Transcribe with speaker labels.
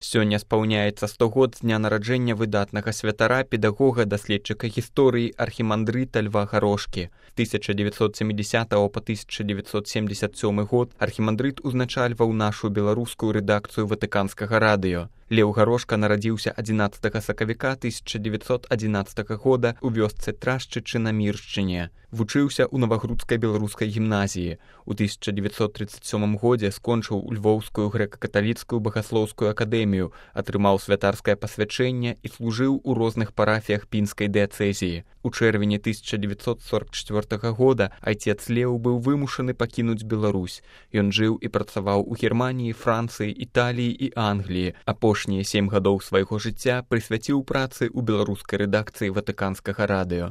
Speaker 1: Сёння спаўняецца 100 год з дня нараджэння выдатнага святара, педагога, даследчыка гісторыі, архімандрыта Льва Гарошкі. З 1970 па 1977 год архімандрыт узначальваў нашу беларускую рэдакцыю Ватыканскага радыё. Леў Гарошка нарадзіўся 11 сакавіка 1911 года ў вёсцы Трашчычы на Міршчыне. Вучыўся ў Навагрудскай беларускай гімназіі. У 1937 годзе скончыў Львоўскую грэка-каталіцкую багаслоўскую акадэмію, атрымаў святарскае пасвячэнне і служыў у розных парафіях пінскай дыяцэзіі. У чэрвені 1944 года айцец Леў быў вымушаны пакінуць Беларусь. Ён жыў і працаваў у Германіі, Францыі, Італіі і Англіі. Апошнія 7 гадоў свайго жыцця прысвяціў працы ў беларускай рэдакцыі Ватыканскага радыё.